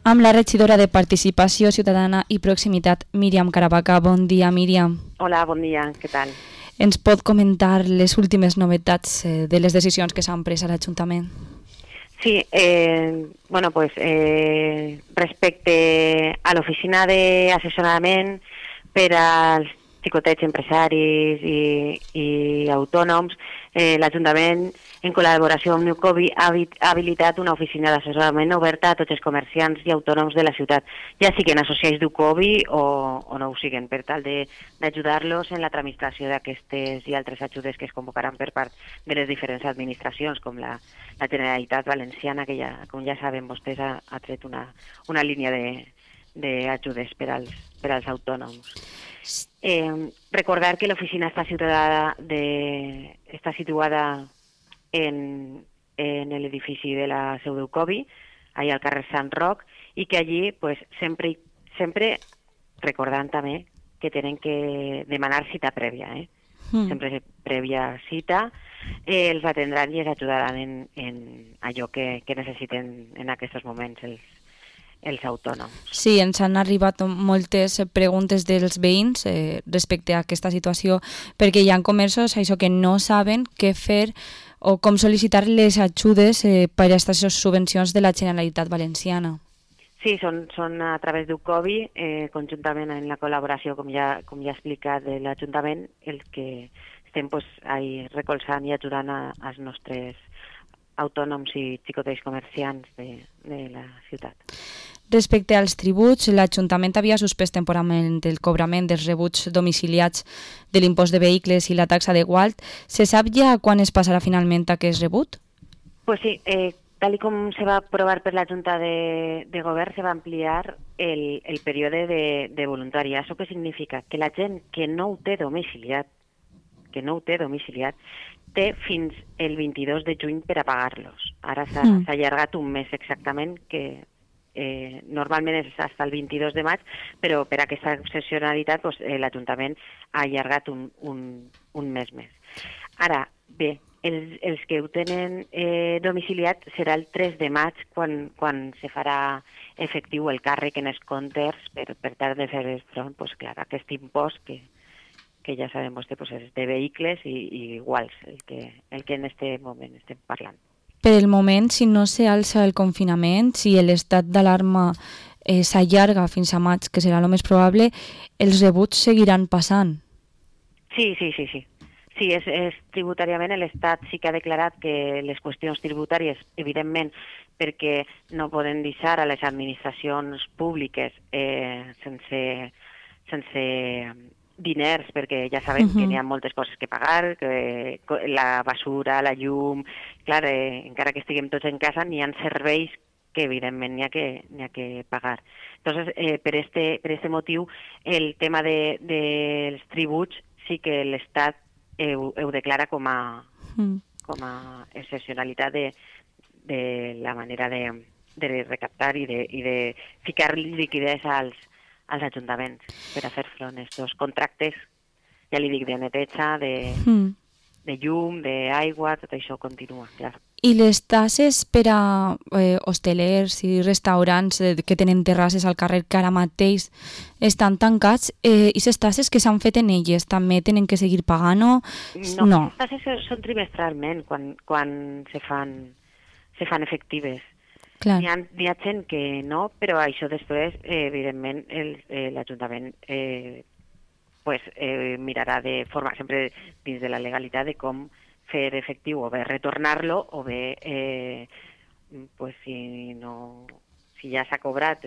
amb la regidora de Participació Ciutadana i Proximitat, Míriam Caravaca. Bon dia, Míriam. Hola, bon dia, què tal? Ens pot comentar les últimes novetats de les decisions que s'han pres a l'Ajuntament? Sí, respecte a l'oficina d'assessorament per als xicotets empresaris i autònoms, l'Ajuntament, en col·laboració amb Newcovi, ha habilitat una oficina d'assessorament oberta a tots els comerciants i autònoms de la ciutat, ja siguin associats d'Ucovi o no ho siguin, per tal d'ajudar-los en la tramitació d'aquestes i altres ajudes que es convocaran per part de les diferents administracions, com la Generalitat Valenciana, que ja, com ja saben vostès, ha tret una línia d'ajudes per als autònoms. Recordar que l'oficina està situada en l'edifici de la seu d'Ucovi, allà al carrer Sant Roc, i que allí sempre recordant també que tenen que demanar cita prèvia, sempre prèvia cita, els atendran i els ajudaran en allò que necessiten en aquests moments els autònoms. Sí, ens han arribat moltes preguntes dels veïns respecte a aquesta situació, perquè hi ha comerços això que no saben què fer o com sol·licitar les ajudes per a aquestes subvencions de la Generalitat Valenciana. Sí, són a través d'Ucovi, conjuntament en la col·laboració, com ja he explicat, de l'Ajuntament, els que estem recolzant i ajudant als nostres autònoms i xicotets comerciants de la ciutat. Respecte als tributs, l'Ajuntament havia suspès temporalment el cobrament dels rebuts domiciliats de l'impost de vehicles i la taxa de gualt. Se sap ja quan es passarà finalment aquest rebut? Pues sí, tal com se va aprovar per la Junta de Govern, se va ampliar el període de voluntariat. Això què significa? Que la gent que no ho té domiciliat, té fins el 22 de juny per a pagar-los. Ara s'ha allargat un mes exactament, que normalment és fins al 22 de maig, però per aquesta excepcionalitat l'Ajuntament ha allargat un mes més. Ara, bé, els que ho tenen domiciliat serà el 3 de maig quan se farà efectiu el càrrec en els comptes per tal de fer front a aquest impost que ja sabem vostè és de vehicles i iguals, el que en aquest moment estem parlant. Per el moment, si no s'alça el confinament, si l'estat d'alarma s'allarga fins a maig, que serà el més probable, els rebuts seguiran passant. Sí. Sí, és tributàriament l'Estat sí que ha declarat que les qüestions tributàries, evidentment, perquè no poden deixar a les administracions públiques sense diners, perquè ja sabem que n'hi ha moltes coses que pagar, que la basura, la llum, clar, encara que estiguem tots en casa, n'hi ha serveis que evidentment n'hi ha que pagar. Entonces, per este motiu, el tema dels tributs sí que l'Estat ho declara com a excepcionalitat de la manera de recaptar i de ficar liquiditat als ajuntaments per a fer front a aquests contractes, ja li dic, de neteja, de llum, d'aigua, tot això continua, clar. I les tasses per a hostelers i restaurants que tenen terrasses al carrer que ara mateix estan tancats, i les tasses que s'han fet en elles també tenen que seguir pagant-ho? No, les tasses són trimestralment quan se fan efectives. N'hi ha gent que no, però això després, evidentment, l'Ajuntament mirarà de forma, sempre dins de la legalitat, de com fer efectiu o bé retornar-lo o bé, si ja s'ha cobrat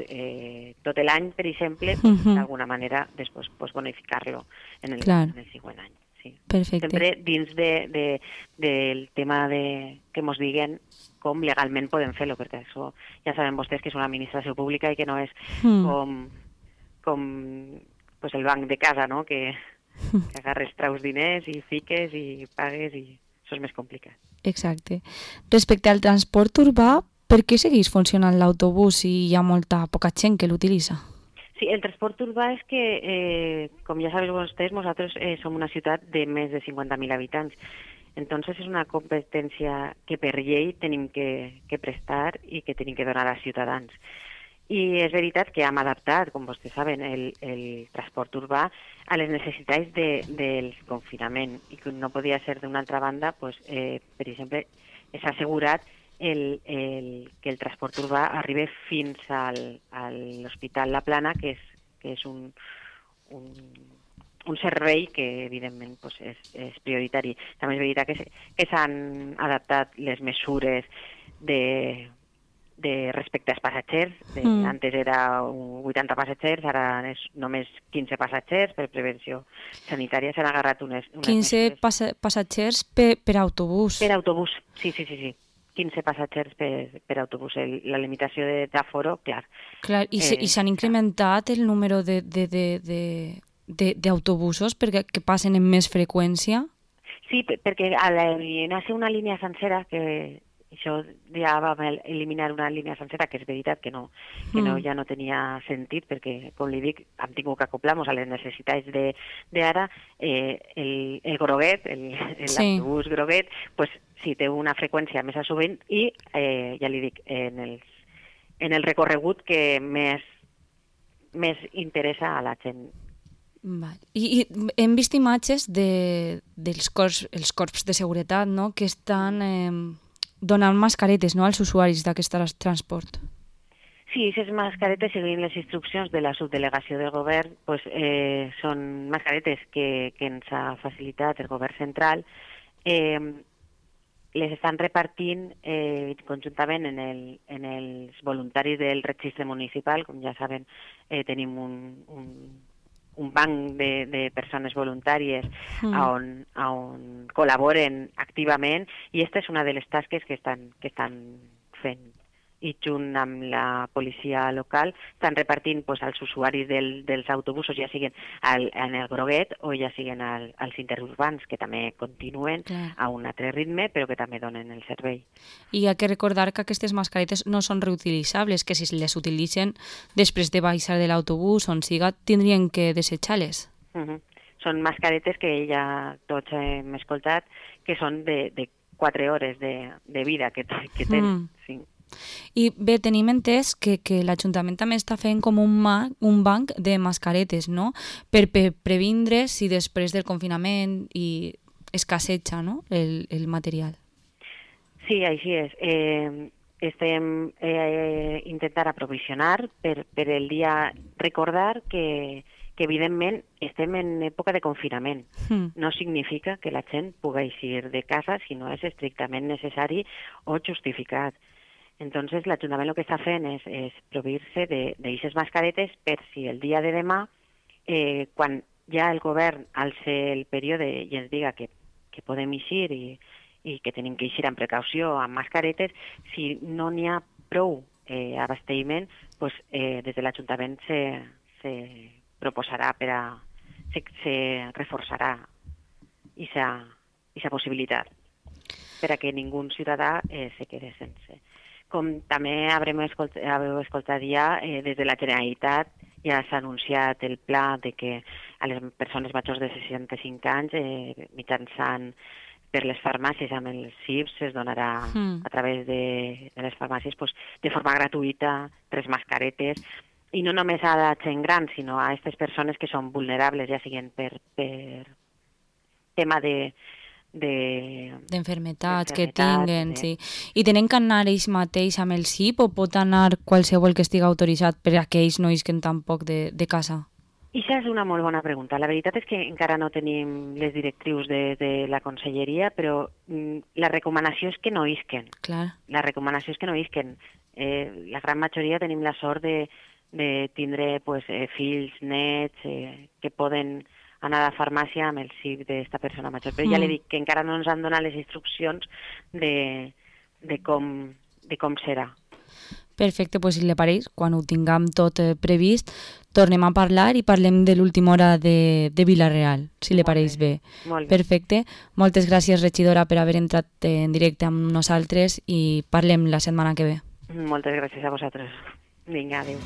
tot l'any, per exemple, d'alguna manera després bonificar-lo en el següent any. Perfecte. Sempre dins del tema que ens diguen com legalment podem fer-lo, perquè això ja saben vostès que és una administració pública i que no és com el banc de casa, no? Que agarres, traus diners i fiques i pagues i això és més complicat. Exacte. Respecte al transport urbà, per què segueix funcionant l'autobús si hi ha poca gent que l'utilitza? Sí, el transport urbà és que, com ja sabeu vostès, nosaltres som una ciutat de més de 50.000 habitants. Entonces és una competència que per llei tenim que prestar i que tenim que donar als ciutadans. I és veritat que hem adaptat, com vostès saben, el transport urbà a les necessitats del confinament i que no podia ser d'una altra banda, pues, per exemple, s'ha assegurat que el transport urbà arribi fins a l'Hospital La Plana, que és un servei que, evidentment, pues, és prioritari. També és veritat que s'han adaptat les mesures de respecte als passatgers. Antes era 80 passatgers, ara és només 15 passatgers per prevenció sanitària. S'han agarrat unes 15 passatgers per autobús. Per autobús, sí. 15 passatgers per autobús. La limitació d'aforo, clar. I s'han incrementat el número d'autobusos que passen amb més freqüència? Sí, perquè al eliminar-se una línia sencera, que això ja vam eliminar una línia sencera, que és veritat que ja no tenia sentit, perquè, com li dic, hem tingut que acoplar-nos a les necessitats d'ara. El groguet, l'autobús groguet, pues, sí, té una freqüència més a sovint i, ja li dic, en el recorregut que més interessa a la gent. I hem vist imatges dels corps de seguretat, no?, que estan donant mascaretes, no?, als usuaris d'aquest transport. Sí, aquestes mascaretes, seguint les instruccions de la subdelegació del govern, pues, són mascaretes que ens ha facilitat el govern central. Les estan repartint conjuntament en els voluntaris del registre municipal. Com ja saben, tenim un banc de persones voluntàries on col·laboren activament, i aquesta és una de les tasques que estan fent. I junt amb la policia local estan repartint, pues, als usuaris dels autobusos, ja siguin en el groguet o ja siguin als interurbans, que també continuen a un altre ritme, però que també donen el servei. I hi ha que recordar que aquestes mascaretes no són reutilitzables, que si les utilitzen després de baixar de l'autobús on siga, tindrien que desitjar-les. Són mascaretes que ja tots hem escoltat, que són de 4 hores de vida que tenen. Sí. I bé, tenim entès que l'Ajuntament també està fent com un banc de mascaretes, no?, per previndre si després del confinament escasseja, no?, el material. Sí, així és. Estem intentant aprovisionar per el dia. Recordar que evidentment estem en època de confinament. No significa que la gent pugui eixir de casa si no és estrictament necessari o justificat. Entonces, l'Ajuntament el que està fent és proveir-se d'aquestes mascaretes per si el dia de demà, quan ja el govern alça el període i ens diga que podem eixir i que tenim que eixir amb precaució amb mascaretes, si no n'hi ha prou abastiment, pues, des de l'Ajuntament se proposarà se reforçarà aquesta possibilitat per a que ningú ciutadà se quede sense. Com també haveu escoltat ja, des de la Generalitat ja s'ha anunciat el pla de que a les persones majors de 65 anys, mitjançant per les farmàcies amb els CIPs, es donarà a través de les farmàcies, pues, de forma gratuïta 3 mascaretes, i no només a la gent gran, sinó a aquestes persones que són vulnerables, ja siguin per tema d'enfermetats que tinguen, sí. I tenen que anar ells mateix amb el CIP o pot anar qualsevol que estigui autoritzat per a que ells no isquen tampoc de casa? Això és una molt bona pregunta. La veritat és que encara no tenim les directrius de la Conselleria, però la recomanació és que no isquen. Clar. La recomanació és que no isquen. La gran majoria tenim la sort de tindre, pues, fills, nets, que poden anar a la farmàcia amb el CIP d'aquesta persona major. Però ja li dic que encara no ens han donat les instruccions de com serà. Perfecte, doncs si li pareix, quan ho tinguem tot previst, tornem a parlar i parlem de l'última hora de Vila-real, si li pareix bé. Molt bé. Perfecte. Moltes gràcies, regidora, per haver entrat en directe amb nosaltres i parlem la setmana que ve. Moltes gràcies a vosaltres. Vinga, adéu.